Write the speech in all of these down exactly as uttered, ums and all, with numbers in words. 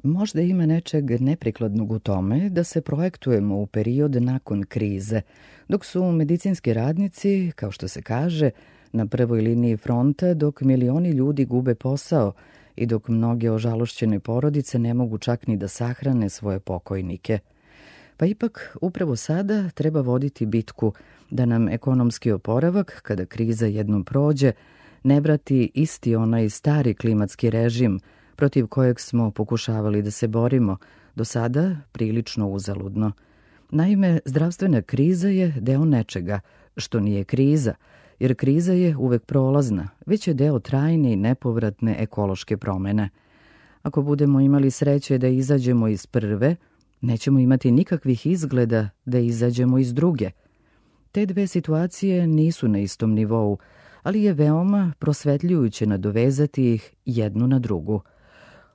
Možda ima nečeg neprikladnog u tome da se projektujemo u period nakon krize, dok su medicinski radnici, kao što se kaže, na prvoj liniji fronta, dok milioni ljudi gube posao i dok mnoge ožalošćene porodice ne mogu čak ni da sahrane svoje pokojnike. Pa ipak, upravo sada treba voditi bitku da nam ekonomski oporavak, kada kriza jednom prođe, ne vrati isti onaj stari klimatski režim protiv kojeg smo pokušavali da se borimo, do sada prilično uzaludno. Naime, zdravstvena kriza je deo nečega, što nije kriza, jer kriza je uvek prolazna, već je deo trajne i nepovratne ekološke promene. Ako budemo imali sreće da izađemo iz prve, nećemo imati nikakvih izgleda da izađemo iz druge. Te dve situacije nisu na istom nivou, ali je veoma prosvetljujuće nadovezati ih jednu na drugu.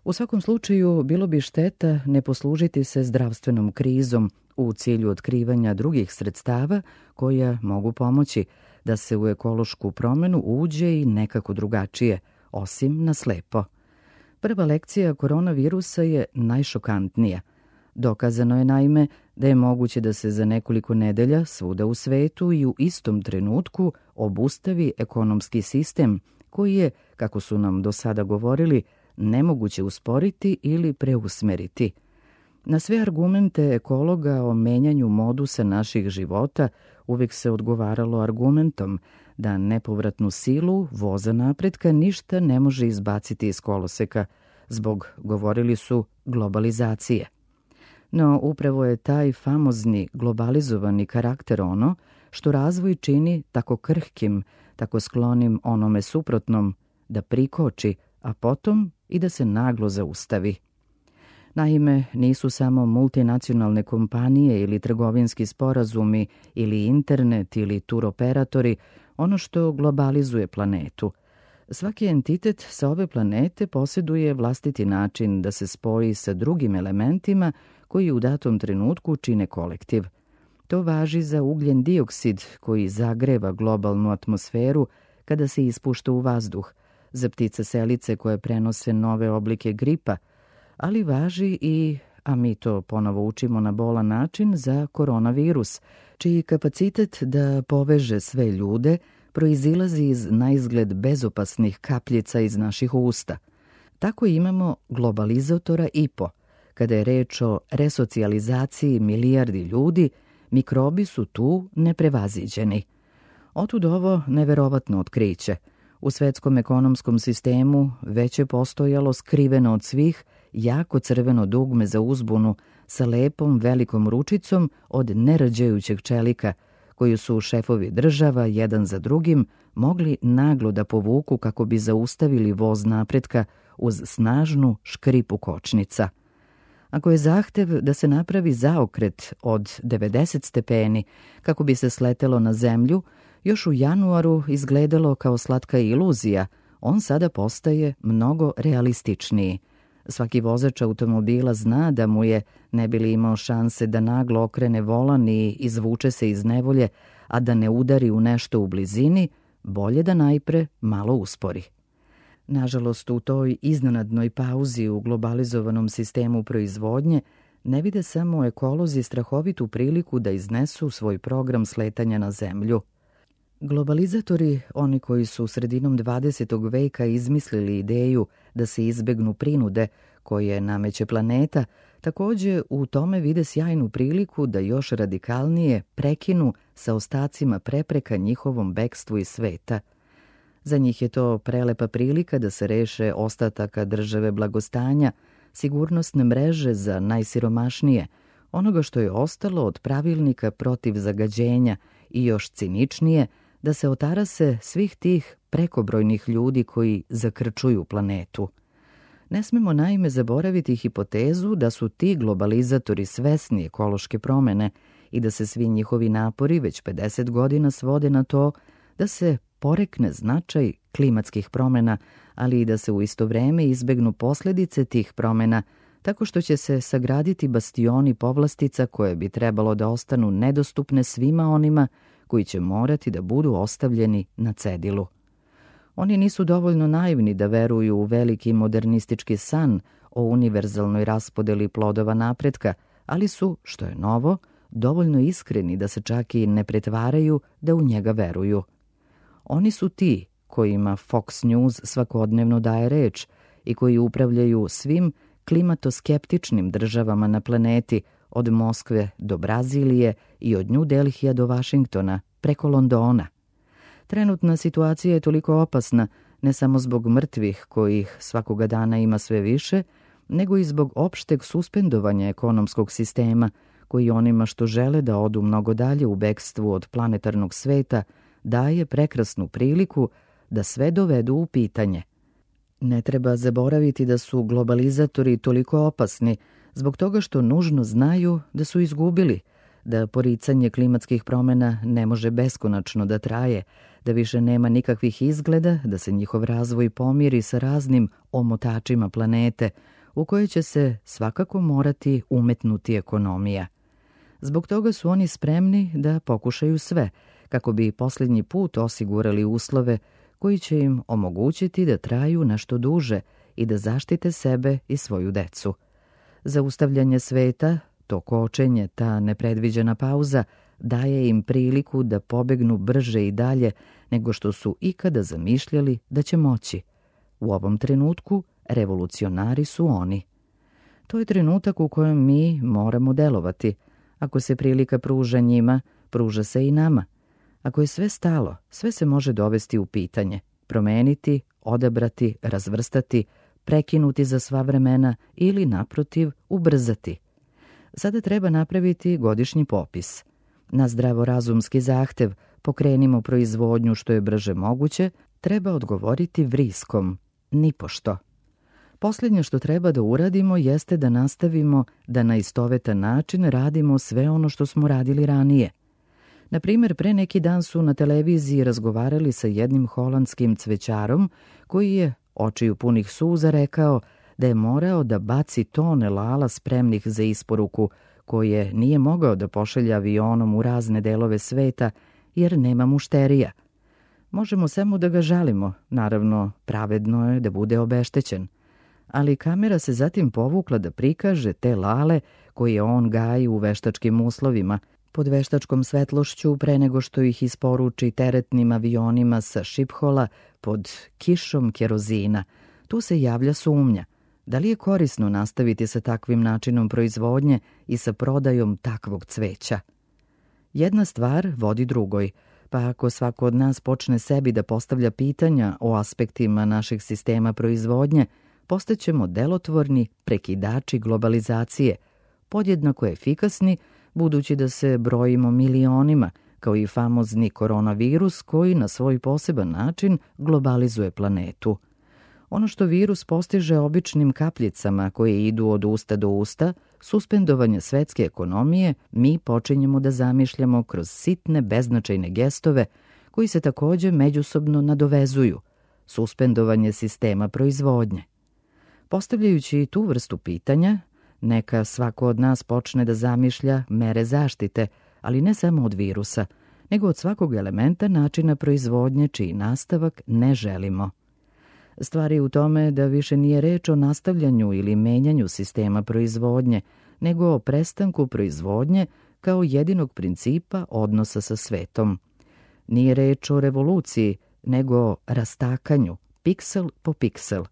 U svakom slučaju, bilo bi šteta ne poslužiti se zdravstvenom krizom u cilju otkrivanja drugih sredstava koja mogu pomoći da se u ekološku promenu uđe i nekako drugačije, osim na slepo. Prva lekcija koronavirusa je najšokantnija. Dokazano je naime da je moguće da se za nekoliko nedelja svuda u svetu i u istom trenutku obustavi ekonomski sistem koji je, kako su nam do sada govorili, nemoguće usporiti ili preusmeriti. Na sve argumente ekologa o menjanju modusa naših života uvijek se odgovaralo argumentom da nepovratnu silu voza napretka ništa ne može izbaciti iz koloseka zbog, govorili su, globalizacije. No upravo je taj famozni globalizovani karakter ono što razvoj čini tako krhkim, tako sklonim onome suprotnom, da prikoči, a potom i da se naglo zaustavi. Naime, nisu samo multinacionalne kompanije ili trgovinski sporazumi ili internet ili turoperatori ono što globalizuje planetu. Svaki entitet sa ove planete posjeduje vlastiti način da se spoji sa drugim elementima koji u datom trenutku čine kolektiv. To važi za ugljen dioksid koji zagreva globalnu atmosferu kada se ispušta u vazduh, za ptice selice koje prenose nove oblike gripa, ali važi i, a mi to ponovo učimo na bolan način, za koronavirus, čiji kapacitet da poveže sve ljude proizilazi iz naizgled bezopasnih kapljica iz naših usta. Tako imamo globalizatora I P O. Kada je reč o resocijalizaciji milijardi ljudi, mikrobi su tu neprevaziđeni. Otud ovo neverovatno otkriće. U svetskom ekonomskom sistemu već je postojalo skriveno od svih jako crveno dugme za uzbunu sa lepom velikom ručicom od nerađajućeg čelika, koju su šefovi država, jedan za drugim, mogli naglo da povuku kako bi zaustavili voz napretka uz snažnu škripu kočnica. Ako je zahtev da se napravi zaokret od devedeset stepeni kako bi se sletelo na zemlju, još u januaru izgledalo kao slatka iluzija, on sada postaje mnogo realističniji. Svaki vozač automobila zna da mu je, ne bi li imao šanse da naglo okrene volan i izvuče se iz nevolje, a da ne udari u nešto u blizini, bolje da najpre malo uspori. Nažalost, u toj iznenadnoj pauzi u globalizovanom sistemu proizvodnje ne vide samo ekolozi strahovitu priliku da iznesu svoj program sletanja na zemlju. Globalizatori, oni koji su sredinom dvadesetog veka izmislili ideju da se izbegnu prinude koje nameće planeta, također u tome vide sjajnu priliku da još radikalnije prekinu sa ostacima prepreka njihovom bekstvu iz sveta. Za njih je to prelepa prilika da se reše ostataka države blagostanja, sigurnosne mreže za najsiromašnije, onoga što je ostalo od pravilnika protiv zagađenja i još ciničnije, da se otarase svih tih prekobrojnih ljudi koji zakrčuju planetu. Ne smemo naime zaboraviti hipotezu da su ti globalizatori svesni ekološke promene i da se svi njihovi napori već pedeset godina svode na to da se porekne značaj klimatskih promena, ali i da se u isto vreme izbegnu posljedice tih promena, tako što će se sagraditi bastioni povlastica koje bi trebalo da ostanu nedostupne svima onima koji će morati da budu ostavljeni na cedilu. Oni nisu dovoljno naivni da veruju u veliki modernistički san o univerzalnoj raspodeli plodova napretka, ali su, što je novo, dovoljno iskreni da se čak i ne pretvaraju da u njega veruju. Oni su ti kojima Fox News svakodnevno daje reč i koji upravljaju svim klimatoskeptičnim državama na planeti, od Moskve do Brazilije i od New Delhija do Vašingtona, preko Londona. Trenutna situacija je toliko opasna, ne samo zbog mrtvih, kojih svakoga dana ima sve više, nego i zbog opšteg suspendovanja ekonomskog sistema, koji onima što žele da odu mnogo dalje u bekstvu od planetarnog sveta, daje prekrasnu priliku da sve dovedu u pitanje. Ne treba zaboraviti da su globalizatori toliko opasni zbog toga što nužno znaju da su izgubili, da poricanje klimatskih promjena ne može beskonačno da traje, da više nema nikakvih izgleda da se njihov razvoj pomiri sa raznim omotačima planete, u kojoj će se svakako morati umetnuti ekonomija. Zbog toga su oni spremni da pokušaju sve, kako bi posljednji put osigurali uslove koji će im omogućiti da traju nešto duže i da zaštite sebe i svoju decu. Zaustavljanje sveta, to kočenje, ta nepredviđena pauza, daje im priliku da pobegnu brže i dalje nego što su ikada zamišljali da će moći. U ovom trenutku revolucionari su oni. To je trenutak u kojem mi moramo delovati. Ako se prilika pruža njima, pruža se i nama. Ako je sve stalo, sve se može dovesti u pitanje, promeniti, odabrati, razvrstati, prekinuti za sva vremena ili, naprotiv, ubrzati. Sada treba napraviti godišnji popis. Na zdravorazumski zahtev pokrenimo proizvodnju što je brže moguće, treba odgovoriti vriskom, nipošto. Posljednje što treba da uradimo jeste da nastavimo da na istovetan način radimo sve ono što smo radili ranije. Na primjer, pre neki dan su na televiziji razgovarali sa jednim holandskim cvećarom koji je, očiju punih suza, rekao da je morao da baci tone lala spremnih za isporuku, koje nije mogao da pošalja avionom u razne delove sveta jer nema mušterija. Možemo samo da ga žalimo, naravno pravedno je da bude obeštećen. Ali kamera se zatim povukla da prikaže te lale koje on gaji u veštačkim uslovima, pod veštačkom svetlošću pre nego što ih isporuči teretnim avionima sa Šiphola pod kišom kerozina. Tu se javlja sumnja. Da li je korisno nastaviti sa takvim načinom proizvodnje i sa prodajom takvog cveća? Jedna stvar vodi drugoj, pa ako svako od nas počne sebi da postavlja pitanja o aspektima našeg sistema proizvodnje, postaćemo delotvorni prekidači globalizacije, podjednako efikasni, budući da se brojimo milionima, kao i famozni koronavirus koji na svoj poseban način globalizuje planetu. Ono što virus postiže običnim kapljicama koje idu od usta do usta, suspendovanje svetske ekonomije, mi počinjemo da zamišljamo kroz sitne beznačajne gestove koji se također međusobno nadovezuju, suspendovanje sistema proizvodnje. Postavljajući tu vrstu pitanja, neka svako od nas počne da zamišlja mere zaštite, ali ne samo od virusa, nego od svakog elementa načina proizvodnje čiji nastavak ne želimo. Stvar je u tome da više nije reč o nastavljanju ili menjanju sistema proizvodnje, nego o prestanku proizvodnje kao jedinog principa odnosa sa svetom. Nije reč o revoluciji, nego o rastakanju, piksel po piksel.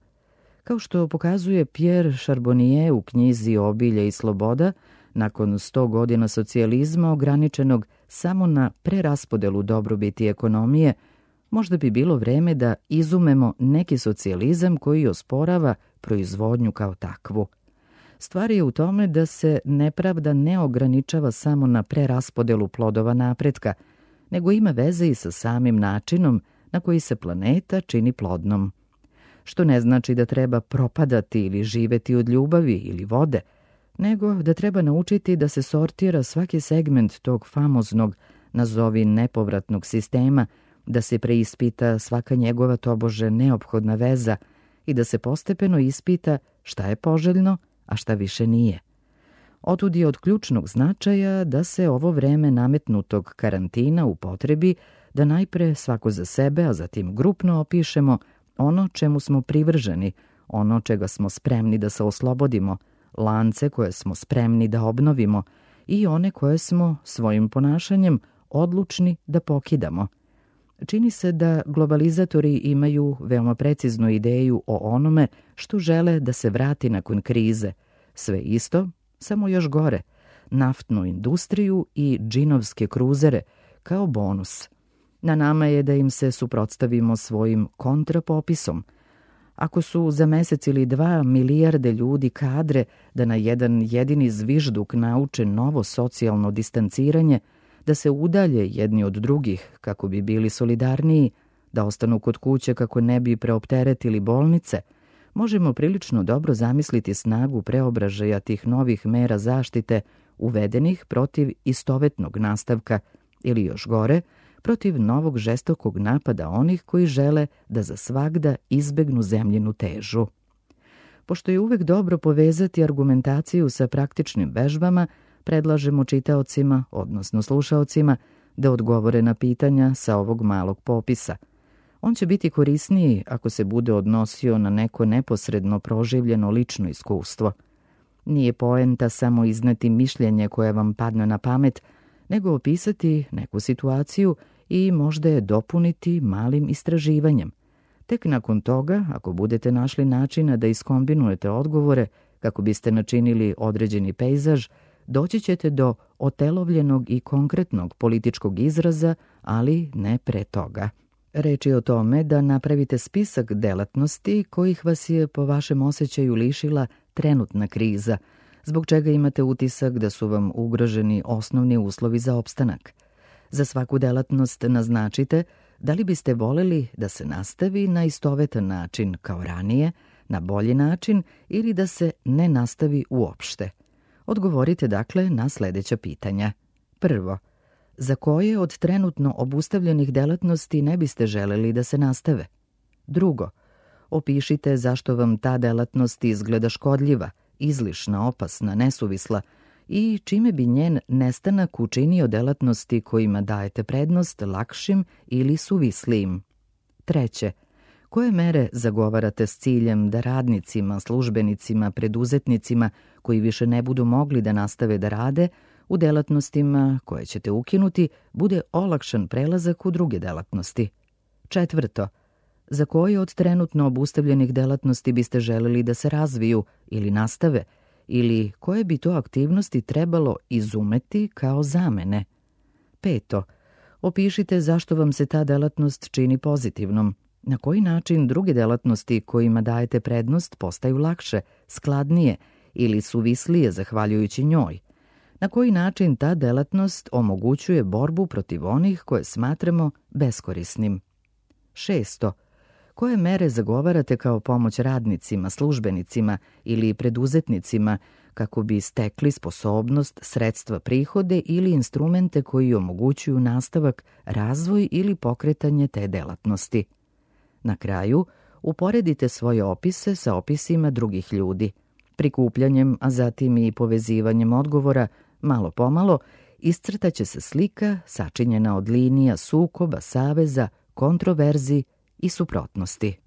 Kao što pokazuje Pierre Charbonnier u knjizi Obilje i sloboda, nakon sto godina socijalizma ograničenog samo na preraspodelu dobrobiti ekonomije, možda bi bilo vreme da izumemo neki socijalizam koji osporava proizvodnju kao takvu. Stvar je u tome da se nepravda ne ograničava samo na preraspodelu plodova napretka, nego ima veze i sa samim načinom na koji se planeta čini plodnom. Što ne znači da treba propadati ili živeti od ljubavi ili vode, nego da treba naučiti da se sortira svaki segment tog famoznog, nazovi nepovratnog sistema, da se preispita svaka njegova tobože neophodna veza i da se postepeno ispita šta je poželjno, a šta više nije. Otud je od ključnog značaja da se ovo vreme nametnutog karantina upotrebi da najpre svako za sebe, a zatim grupno opišemo ono čemu smo privrženi, ono čega smo spremni da se oslobodimo, lance koje smo spremni da obnovimo i one koje smo svojim ponašanjem odlučni da pokidamo. Čini se da globalizatori imaju veoma preciznu ideju o onome što žele da se vrati nakon krize. Sve isto, samo još gore, naftnu industriju i džinovske kruzere kao bonus. Na nama je da im se suprotstavimo svojim kontrapopisom. Ako su za mesec ili dva milijarde ljudi kadre da na jedan jedini zvižduk nauče novo socijalno distanciranje, da se udalje jedni od drugih kako bi bili solidarniji, da ostanu kod kuće kako ne bi preopteretili bolnice, možemo prilično dobro zamisliti snagu preobražaja tih novih mera zaštite uvedenih protiv istovetnog nastavka ili još gore, protiv novog žestokog napada onih koji žele da za svagda izbegnu zemljinu težu. Pošto je uvek dobro povezati argumentaciju sa praktičnim vežbama, predlažemo čitaocima, odnosno slušaocima, da odgovore na pitanja sa ovog malog popisa. On će biti korisniji ako se bude odnosio na neko neposredno proživljeno lično iskustvo. Nije poenta samo izneti mišljenje koje vam padne na pamet, nego opisati neku situaciju i možda je dopuniti malim istraživanjem. Tek nakon toga, ako budete našli načina da iskombinujete odgovore kako biste načinili određeni pejzaž, doći ćete do otelovljenog i konkretnog političkog izraza, ali ne pre toga. Reč je o tome da napravite spisak delatnosti kojih vas je po vašem osjećaju lišila trenutna kriza, zbog čega imate utisak da su vam ugroženi osnovni uslovi za opstanak. Za svaku delatnost naznačite da li biste voleli da se nastavi na istovetan način kao ranije, na bolji način ili da se ne nastavi uopšte. Odgovorite dakle na sledeća pitanja. Prvo, za koje od trenutno obustavljenih delatnosti ne biste želeli da se nastave? Drugo, opišite zašto vam ta delatnost izgleda škodljiva, izlišna, opasna, nesuvisla i čime bi njen nestanak učinio delatnosti kojima dajete prednost lakšim ili suvislijim. Treće, koje mere zagovarate s ciljem da radnicima, službenicima, preduzetnicima koji više ne budu mogli da nastave da rade, u delatnostima koje ćete ukinuti bude olakšan prelazak u druge delatnosti? Četvrto, za koje od trenutno obustavljenih delatnosti biste želeli da se razviju ili nastave, ili koje bi to aktivnosti trebalo izumeti kao zamene? Peto, opišite zašto vam se ta delatnost čini pozitivnom, na koji način druge delatnosti kojima dajete prednost postaju lakše, skladnije ili suvislije zahvaljujući njoj, na koji način ta delatnost omogućuje borbu protiv onih koje smatramo beskorisnim. Šesto, koje mere zagovarate kao pomoć radnicima, službenicima ili preduzetnicima kako bi stekli sposobnost, sredstva, prihode ili instrumente koji omogućuju nastavak, razvoj ili pokretanje te delatnosti? Na kraju, uporedite svoje opise sa opisima drugih ljudi. Prikupljanjem, a zatim i povezivanjem odgovora, malo pomalo, iscrtaće se slika sačinjena od linija sukoba, saveza, kontroverzi i suprotnosti.